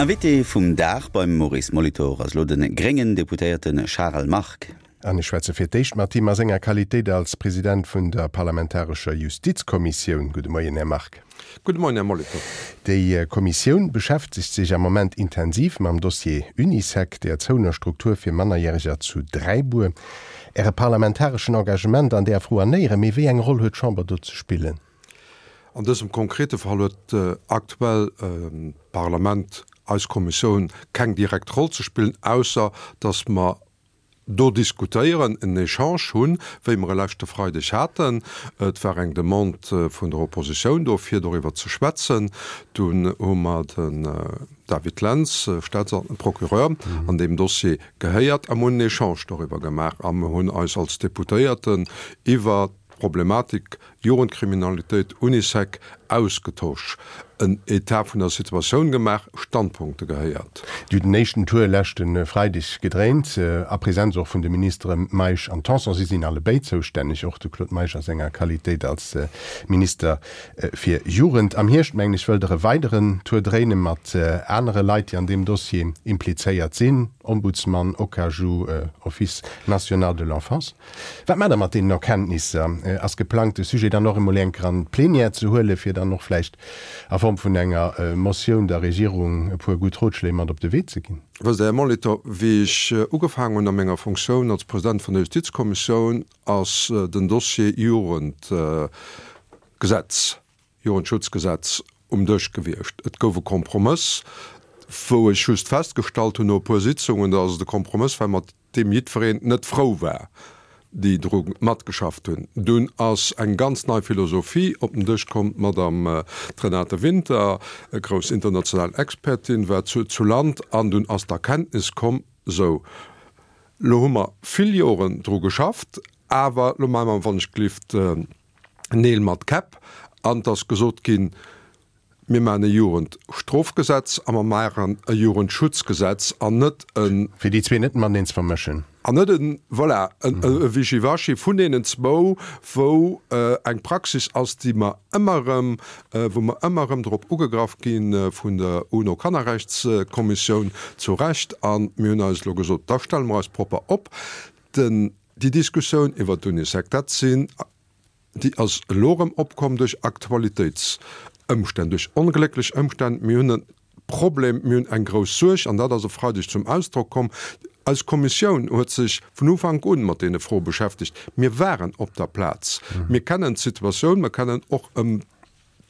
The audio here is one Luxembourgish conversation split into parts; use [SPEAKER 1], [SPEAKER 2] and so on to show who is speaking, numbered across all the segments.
[SPEAKER 1] Invité vum Dag beim Maurice Molitor ass elo de gréngen Deputéierte Charel Margue.
[SPEAKER 2] An ech schwätze fir d'éischt mat him a senger Qualitéit als President vun der parlamentarescher Justizkommissioun. Gudde Moien, Här Margue.
[SPEAKER 3] Gudde Moien, Här Molitor.
[SPEAKER 2] Déi Kommissioun beschäftegt sech am Moment intensiv mam Dossier Unisec, der zouener Struktur fir Mannerjäreger zu Dräibuer. Äre parlamentareschen Engagement an där Fro an Éieren, mee wéi eng Roll huet d'Chamber do ze spillen?
[SPEAKER 3] An dësem konkrete Fall huet aktuell d'Parlament, eis Kommissioun, keng direkt Roll ze spillen, ausser datt mer do diskutéieren, en Echange hunn, wéi mer e leschte Freideg haten. Et war eng Demande vun der Oppositioun do, fir doriwwer ze schwätzen. Dunn hu mer den David Lentz, Staats-, Procureur an deem Dossier, gehéiert a mer hunn en Echange doriwwer gemaach a mer hunn eis als Deputéierten iwwer d'Problematik Jugendkriminalitéit, Unisec, ausgetosch, en Etat vun der Situatioun gemaach, Standpunkte gehéiert.
[SPEAKER 2] Déi huet den éischten Tour leschte Freideg gedréint, a Präsenz och vun de Ministere Meisch an Tanson. Si sinn allebéid zoustänneg, och de Claude Meisch a senger Qualitéit als Minister fir Jugend. Am Hierscht, mengen ech, wëllt Der e weideren Tour dréine mat anere Leit, déi an deem Dossier implizéiert sinn, Ombudsman, Okaju, Office national de l'enfance. Wat maacht Der mat deenen Erkenntnisser? Ass geplangt, de Sujet dann och emol enker an d'Plenière ze huelen, fir dann och vläicht a Form vun enger Motioun der Regierung e puer gutt Rotschléi mat op de Wee ze ginn?
[SPEAKER 3] Wësst Der, Här Molitor, wéi ech ugefaangen hunn a menger Fonctioun als President vun der Justizkommissioun, ass den Dossier Jugendgesetz, Jugendschutzgesetz um Dësch gewiescht. Et gouf e Kompromëss, wou ech just festgestallt hunn no e puer Sitzungen, datt et e Kompromëss war, mat deem jiddwereen net frou war, déi dru matgeschafft hunn. Dunn ass eng ganz nei Philosophie op den Dësch komm, d'Madame Renate Winter, e grouss international Expertin, war zu zu Land an dunn ass d'Erkenntnis komm, Sou, lo hu mer vill Joren dru geschafft, awer lo maache mer wann ech glift Neel mat Käpp. An et ass gesot ginn, Mir maachen e Jugendstrofgesetz a mer maachen e Jugendschutzgesetz an net e.
[SPEAKER 2] Fir déi zwee net mateneen ze vermëschen.
[SPEAKER 3] An net e, voilà, e Wischiwaschi vun deenen zwou, wou eng Praxis ass, déi mer ëmmer erëm, wou mer ëmmer erëm drop ugegraff gi vun der UNO-Kannerrechtskommissioun, zu Recht. A mir hunn eis elo gesot, da stelle mer eis propper op. Den, déi Diskussioun iwwert d'Unisec, dat sinn Déi ass elo erëm opkomm duerch Aktualitéitsëmstänn, duerch onglécklech Ëmstänn. Mir hunn e Problem, mir hunn eng grouss Suerg, an dat ass e Freideg zum Ausdrock komm. Eis Kommissioun huet sech vun Ufank un mat deene Froe beschäftegt. Mir waren op der Plaz. Mir kennen d'Situatioun, mir kennen och ëm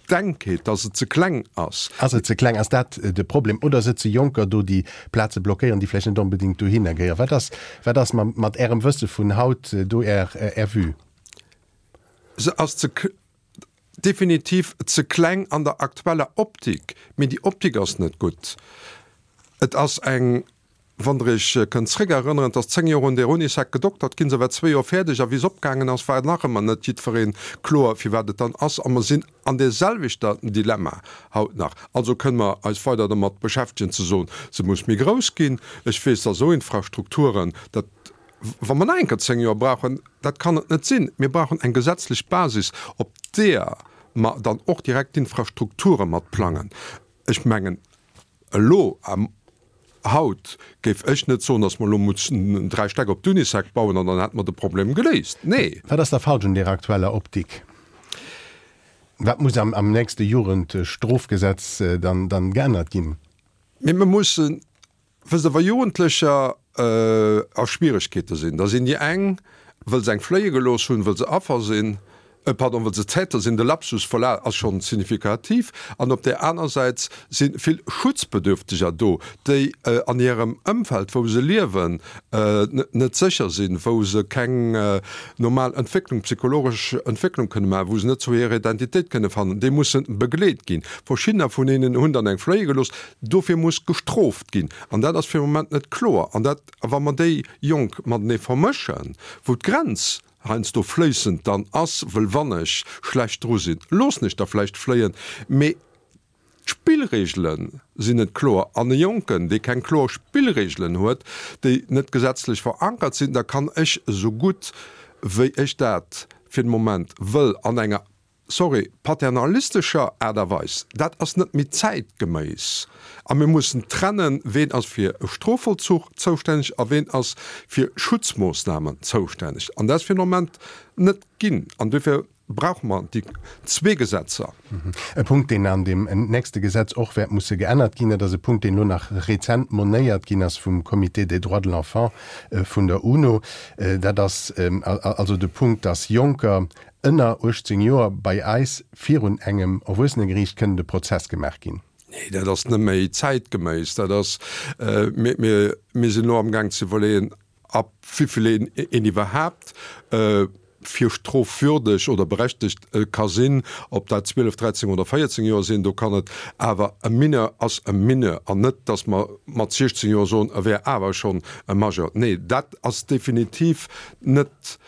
[SPEAKER 3] d'Enkheet, dass et ze kleng ass.
[SPEAKER 2] Ass et ze kleng? Ass dat de Problem? Oder sëtze Jonker do, déi Plaze blockéieren, déi vläicht net onbedéngt dohinner gehéieren? Wat ass, wat ass mat Ärem Wësse vun haut do Är, Är Vue?
[SPEAKER 3] Se ass ze, definitiv ze kleng an der aktueller Optik, mee déi Optik ass net gutt. Et ass eng, wann Der Iech kënnt zréckerënneren, et ass 10 Joer un där Unisec gedoktert ginn, se war zwee Joer fäerdeg a wéi se opgaangen ass, war nach ëmmer net jiddweree kloer, firwat et dann ass. A mer sinn an där selwechter Dilemma haut nach. Also kënne mer eis weider dermat beschäftegen ze soen, se muss méi grouss ginn. Ech weess, dass esou Infrastrukturen, dat Wa mer nach eng Kéier 10 Joer brauchen, dat kann et net sinn. Mir brauchen eng gesetzlech Basis, op deeër mer dann och direkt d'Infrastrukture mat plangen. Ech mengen, elo, haut, géif ech net soen, datt mer elo mussen 3 Stäck op d'Unisec bauen an dann hätte mer de Problem geléist. Nee.
[SPEAKER 2] Wat ass da falsch un deer aktueller Optik? Wat muss am nächste Jugendstrofgesetz dann geännert ginn?
[SPEAKER 3] Mee mer mussen Wësst Der, wa Jugendlecher a Schwieregkeete sinn, da sinn déi eng, wëll se eng fléie gelooss hunn, wëll se Affer sinn, pardon, wëll se Täter sinn, de Lapsus, voilà, ass schonn signifikativ, an op där aner Säit si vill Schutzbedürfteger do, déi an hirem Ëmfeld, wou se liewen, net sécher sinn, wou se keng normal Entwécklung, psychologesch Entwécklung kënne maachen, wou se net zu hirer Identitéit kënne fannen, déi musse begleet ginn. Verschiddener vun hinnen hunn dann eng fléie gelooss. Dofir muss gestrooft ginn. An dat ass fir de Moment net kloer. An dat, wa mer déi Jonk matenee vermëschen, wou d'Grenz heiansdo fléissend dann ass, wëll wann ech schlecht dru sinn, loossen ech der vläicht fléien, mee d'Spillregele sinn net kloer. An e Jonken, dee keng kloer Spillregelen huet, déi net gesetzlech verankert sinn, da kann ech esou gutt wéi ech dat fir de Moment wëll an enger. sorry, paternalistescher Aart a Weis, dat ass net méi zäitgeméiss. A mir mussen trennen, ween ass fir e Strofvollzuch zoustänneg a ween ass fir Schutzmoossnamen zoustänneg. An dat ass fir den Moment net ginn. An duerfir brauche mer déi zwee Gesetzer.
[SPEAKER 2] E Punkt, deen an deem nächste Gesetz och wäert musse geännert ginn, dat ass e Punkt, deen elo nach rezent monéiert ginn ass vum Comité des droits de l'enfant vun der UNO, dat ass also de Punkt, dass Jonker ënner 18 Joer bei eis virun engem Erwuessenegeriicht kënnen de Prozess gemaach ginn.
[SPEAKER 3] Nee, dat ass net méi zäitgeméiss. Dat ass, mir, mir, mir sinn elo amgaang ze iwwerleeën, ab wéivill een, een iwwerhaapt fir strofwürdeg oder berechtegt ka sinn, ob dat 12, 13 oder 14 Joer sinn. Do kann et awer, e Mineur ass e Mineur an net, datt mer mat 16 Joer soen, e wär awer schonn e Majeur. Nee, dat ass definitiv net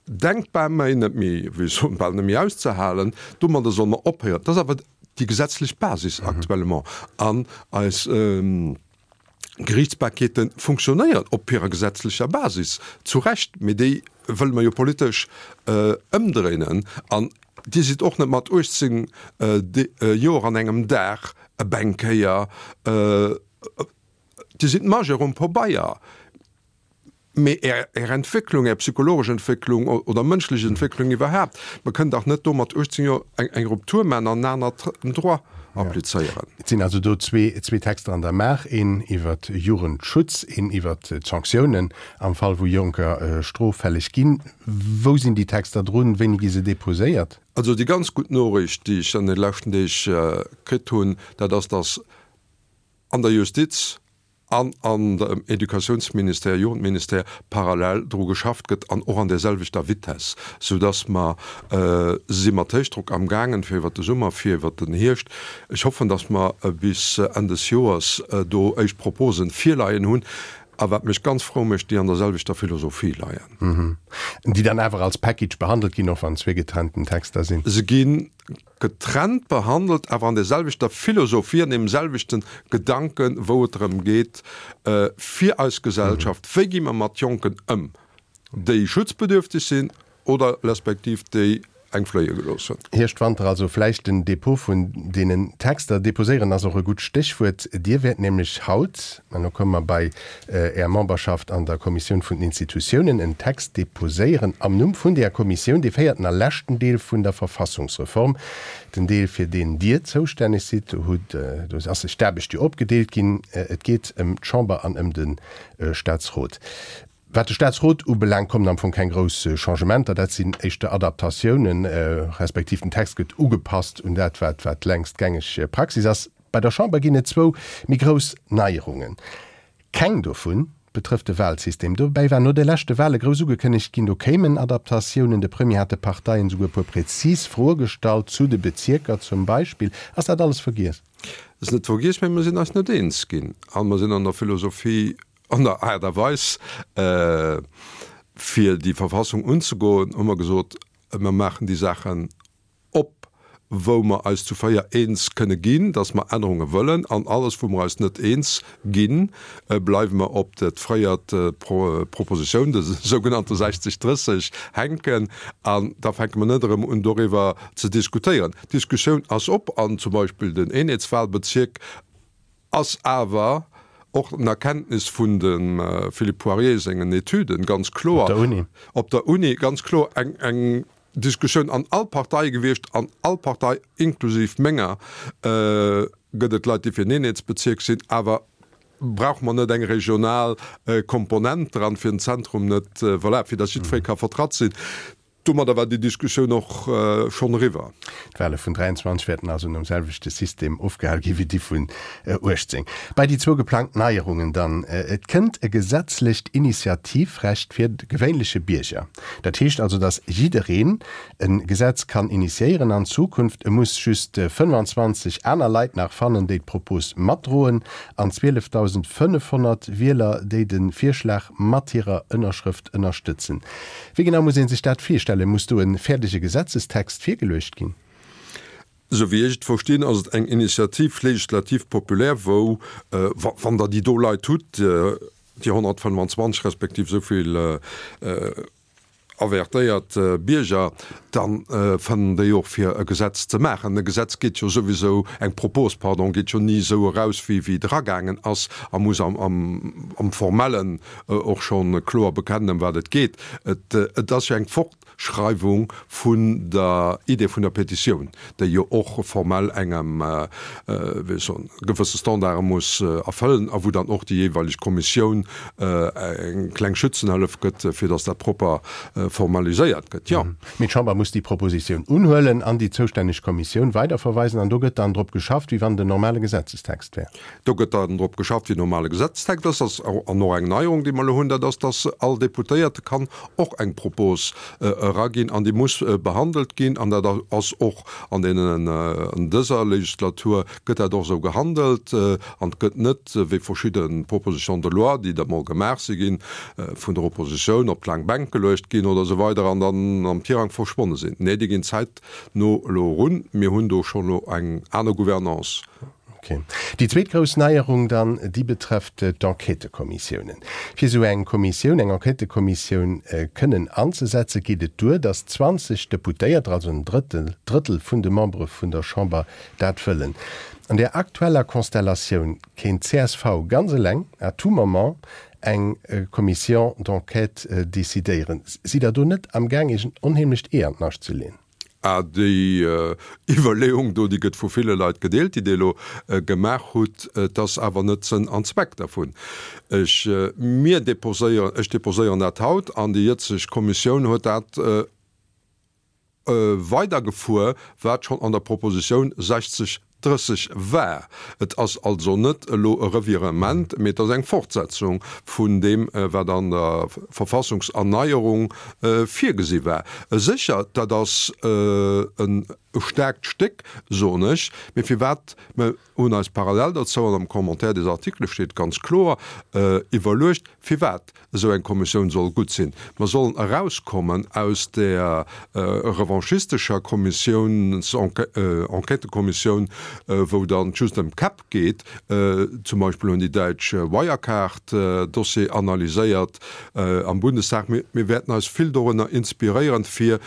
[SPEAKER 3] denkbar méi, net méi, wéi ech soen, bal net méi auszehalen. Domadder solle mer ophéieren. Dat ass awer déi gesetzlech Basis actuellement. An eis Gerichtsbarkeete funktionéieren op hirer gesetzlecher Basis, zu Recht, mee déi wëlle mer jo politesch ëmdréinen. An Dir sidd och net mat 18 Joer an engem Dag e Bänkéier, Dir sidd Majeur um Pobeier. Mee Är, Är Entwécklung, Är psychologesch Entwécklung oder mënschlech Entwécklung iwwerhaapt, mer kënnen dach net do mat 18 Joer eng, eng Rupture maachen an en anert Droit applizéieren.
[SPEAKER 2] Et sinn also do zwee, zwee Texter an der Maach, een iwwer Jugendschutz, een iwwer d'Sanktiounen am Fall wou Jonker stroffälleg ginn. Wou sinn déi Texter drun? Wéini gi se deposéiert?
[SPEAKER 3] Also déi ganz gutt Noriicht, déi ech an de leschten Deeg kritt hunn, dat ass, dass an der Justiz an an dem Educatiounsministère, Jugendministère parallel dru geschafft gëtt an och an där selwechter Vitesse, soudass mer si mat Héichdrock amgaangen, fir iwwert de Summer, fir iwwert den Hierscht. Ech hoffen, dass mer bis Enn des Joers do éischt Proposen virleien hunn a wat mech ganz frou mécht, déi an der selwechter Philosophie leien.
[SPEAKER 2] Déi dann awer als Package behandelt ginn, och wann zwee getrennten Texter sinn.
[SPEAKER 3] Se ginn getrennt behandelt, awer an der selwechter Philosophie, an deem selwechten Gedanken, wou et drëm geet, fir eis Gesellschaft, wéi gi mer mat Jonken ëm, déi schutzbedürftig sinn oder respektiv déi eng fléie gelooss hunn.
[SPEAKER 2] Hierscht, Wanter, also vläicht den Depot vun deenen Texter. Deposéieren ass och e gutt Stéchwuert. Dir wäert nämlech haut, an elo komme mer bei Är Memberschaft an der Kommissioun vun den Institutiounen, en Text deposéieren am Numm vun där Kommissioun, dee véierten a leschten Deel vun der Verfassungsreform, den Deel, fir deen Dir zoustänneg sidd. Do hutt, do ass sech d'Aarbecht jo opgedeelt ginn. Et geet ëm d'Chamber an ëm de Staatsrot. Wat de Staatsrot ubelaangt, kommen am Fong keng grouss Changementer. Dat sinn éischter Adaptatiounen, respektiv den Text gëtt ugepasst un dat, wat wat längst gängeg Praxis ass. Bei der Chamber ginn et zwou méi grouss Neierungen. Keng dovun betrëfft de Wahlsystem. Dobäi war no de leschte Wahle grouss ugekënnegt ginn, do kéimen Adaptatiounen. De Premier hat de Parteien esouguer e puer prezis Froe gestallt, zu de Bezierker zum Beispill. Ass dat alles vergiess?
[SPEAKER 3] Et ass net vergiess, mä mer sinn eis net eens ginn a mer sinn an der Philosophie, an der Aart a Weis, fir déi Verfassung unzegoen, hu mer gesot, mer maachen déi Saachen op, wou mer eis zu 4 eens kënne ginn, dass mer Ännerunge wëllen, an alles, wou mer eis net eens ginn, bleiwe mer op dat fréiert Propositioun, de sougenannte 60, 30, hänken. An da fänke mer net erëm un, doriwwer ze diskutéieren. D'Diskussioun ass op, an zum Beispill den Eenheetswahlbezierk ass awer och en Erkenntnis vun dem Philippe Poirier sengen Etüden, ganz kloer,
[SPEAKER 2] Op der Uni.
[SPEAKER 3] Op der Uni, ganz kloer eng, eng Diskussioun an all Parteie gewiescht, an all Partei, inklusiv menger, gëtt et Leit, déi fir en Eenheetsbezierk sinn. Awer brauche mer net eng regional Komponent dran, fir den Zentrum net, voilà, fir datt jiddweree ka vertratt sinn? Domadder war déi Diskussioun och schonn eriwwer.
[SPEAKER 2] D'Wale vun 23 wäerten also nom selwechte System ofgehal gi wéi déi vun 18. Bei déi zwou geplangt Neierungen dann, Et kënnt e gesetzlecht Initiativrecht fir de gewéinleche Bierger. Dat heescht also, datt jiddereen e Gesetz kann initiéieren an Zukunft. E muss just 25 aner Leit nach fannen, déi d'Propos matdroen, an 12.500 Wieler, déi de Virschlag mat hirer Ënnerschrëft ënnerstëtzen. Wéi genau muss ee sech dat virstellen? Muss do e fäerdege Gesetzestext virgeluecht ginn?
[SPEAKER 3] Esou wéi ech et verstinn, ass et eng Initiative législative populaire, wou, wann Der déi do Leit hutt, déi 125 respektiv esou vill. Avertéiert Bierger, da fannen déi och fir e Gesetz ze maachen. E Gesetz geet jo souwisou, eng Propos, pardon, geet jo ni esou eraus wéi wéi et eragaangen ass a muss am am Formellen och scho kloer bekennen ëm wat et geet. Et ass jo eng Fortschreiwung vun der Idee vun der Petitioun, déi jo och formell engem, wéi ech soen, gewësse Standarde muss erfëllen a wou dann och déi jeeweileg Kommissioun eng kleng Schützenhëllef gëtt, fir datt dat propper formaliséiert gëtt, jo.
[SPEAKER 2] Mee d'Chamber muss déi Propositioun unhuelen an déi zoustänneg Kommissioun weiderverweisen an do gëtt dann drop geschafft, wéi wann et en normale Gesetzestext wär.
[SPEAKER 3] Do gëtt dann drop geschafft, wéi en normale Gesetzestext ass. Dat ass an och eng Neierung, déi mer elo hunn, dat ass, datt all Deputéierte kann och eng Propos eraginn an déi muss behandelt ginn an dat ass och an deenen, an dëser Legislatur gëtt dat och esou gehandelt an et gëtt net, wéi verschidde Propositions de loi, déi da mol gemaach si ginn, vun der Oppositioun op d'laang Bänk geluecht ginn oder esou weider an dann am Tirang verschwonne sinn. Nee, déi ginn zäitno elo erun. Mir hunn do schonn elo eng aner Gouvernance.
[SPEAKER 2] Ok. Déi zweet grouss Neierung dann, déi betrëfft d'Enquêtëkommissiounen. Fir esou eng Kommissioun, eng Enquêtëkommissioun kënnen anzesetzen, geet et duer, datt 20 Deputéierter, also en Drëttel, Drëttel vun de Membere vun der Chamber dat wëllen. An där aktueller Konstellatioun kéint csv ganz eleng à tout moment eng Commission d'enquête decidéieren. Sidd Der do net amgaang, Iech en onheemlecht Ee an d'Nascht ze leeën?
[SPEAKER 3] Ah, déi Iwwerleeung do, déi gëtt vu ville Leit gedeelt, déi Dir elo gemaach hutt. Et ass awer net Sënn an Zweck dervun. Ech, mir déposéieren, ech déposéieren dat haut an déi jëtzeg Kommissioun huet dat weidergefuer, wat schonn an der Propositioun 60 30 war. Et ass also net elo e Revirement, mee et ass eng Fortsetzung vun deem, wat an der Verfassungserneierung virgesi war. Sécher, dat ass e staarkt Stéck, soen ech, mee firwat? Mir hunn eis parallel derzou, an am Commentaire des articles steet ganz kloer, iwwerluecht, firwat esou eng Kommissioun soll gutt sinn. Mer sollen erauskommen aus där revanchistescher Kommissioun, Enquêtekommissioun, wou dann just ëm d'Käpp geet. Zum Beispill hunn déi Däitsch Wirecard-Dossier analyséiert am Bundestag. Mir wäerten eis vill dorunner inspiréieren, fir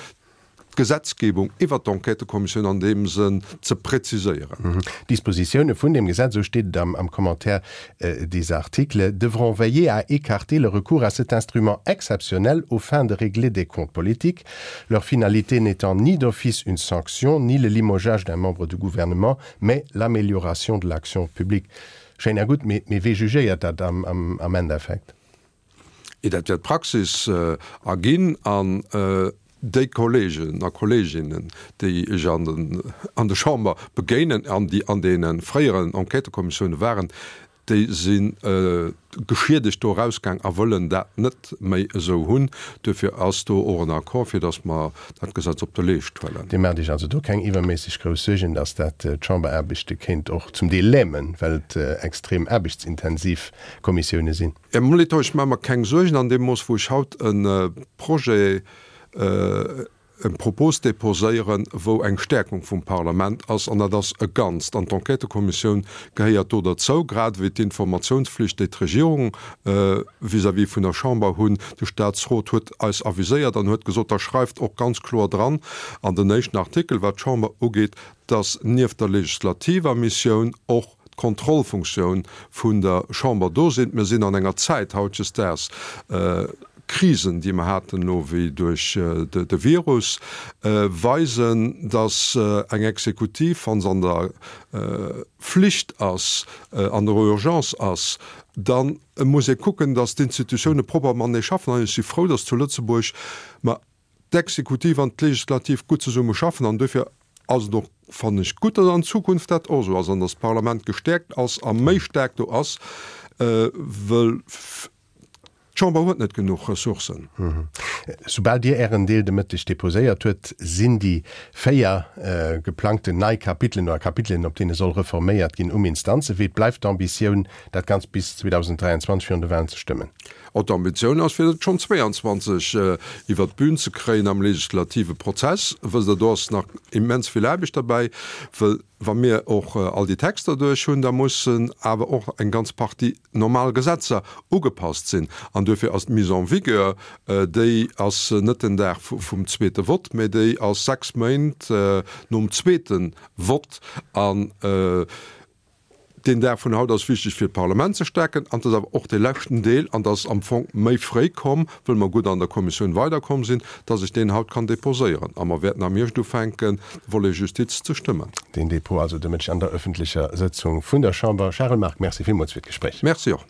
[SPEAKER 3] d'Gesetzgebung iwwert d'Enquêtëkommissioun an deem Sënn ze präziséieren.
[SPEAKER 2] D'Dispositioune vun deem Gesetz, esou steet et am Commentaire des articles, devront veiller à écarter le recours à cet instrument exceptionnel aux fins de régler des comptes politiques, leur finalité n'étant ni d'office une sanction, ni le limogeage d'un membre du gouvernement, mais l'amélioration de l'action publique. Schéin a gutt, mee wee jugéiert dat am Endeffekt?
[SPEAKER 3] Et dat wäert d'Praxis erginn an déi Kollegen a Kolleginnen, déi ech an an der Chamber begéinen an déi an deene fréieren Enquêtëkommissioune waren, déi si geschiedegt do erausgaang a wëllen dat net méi esou hunn. Duerfir ass do och en Accord, fir datt mer dat Gesetz op de Leescht huelen.
[SPEAKER 2] Dir maacht Iech also do keng iwwerméisseg grouss Suergen, datt dat d'Chamberaarbechte kéint och zum Deel lämen, well et extrem aarbechtsintensiv Kommissioune sinn?
[SPEAKER 3] Här Molitor, ech maache mer keng Suergen an deem Mooss, wou ech haut e Projet, eng Propos déposéieren, wou eng Stärkung vum Parlament ass, an dat ass e Ganzt. An d'Enquêtëkommissioun gehéiert do derzou, grad ewéi d'Informationsflicht, déi d'Regierung vis-à-vis vun der Chamber hunn. De Statsrot huet eis aviséiert an huet gesot, da schreift och ganz kloer dran an den éischten Artikel, wat d'Chamber ugeet, dass nieft der legislativer Missioun och d'Kontrollfunktioun vun der Chamber do sinn. Mir sinn an enger Zäit hautdesdaags, Krisen, déi mer haten elo wéi duerch de Virus, weisen, datt eng Exekutiv, wa se an der Flicht ass, an der Urgence ass, da muss ee kucken, datt d'Institutioune propper matenee schaffen. An ech si frou, datt zu Lëtzebuerg mer d'Exekutiv an d'Legislativ gutt zesumme schaffen an duerfir ass et och, fannen ech, gutt, datt an Zukunft dat och esou ass an datt d'Parlament gestäerkt ass a méi staark do ass, wëll d'Chamber huet net genuch Ressourcen.
[SPEAKER 2] Soubal Dir Ären Deel de Mëtteg deposéiert huet, sinn déi 4 geplangten nei Kapitelen oder Kapitelen, op deene soll reforméiert ginn, um Instanzewee. Et bleift d'Ambitioun, dat Ganzt bis 2023 virun de Wahlen ze stëmmen.
[SPEAKER 3] Oh, d'Ambitioun ass, fir et schonn 22 iwwert d'Bün ze kréien am legislative Prozess. Wësst Der, do ass nach immens vill Aarbecht derbäi, wëll wa mir och all déi Texter duerch hunn, da mussen awer och eng ganz Partie normal Gesetzer ugepasst sinn. An duerfir ass d'Mise en vigueur, déi ass net den Dag vum zweete Vott, mä déi ass sechs Méint nom zweete Vott. An Deen Dag vun haut ass wichteg fir d'Parlament ze stäerken an et ass awer och dee leschten Deel, an et ass am Fong méi fréi komm, wëll mer gutt an der Kommissioun weiderkomm sinn, dass ech deen haut kann déposéieren a mer wäerten am Hierscht ufänken, de Volet Justiz ze stëmmen.
[SPEAKER 2] Deen Dépôt also de Mëtteg an der öffentlecher Sëtzung vun der Chamber. Charel Margue, Merci villmools fir d'Gespréich.
[SPEAKER 3] Merci och.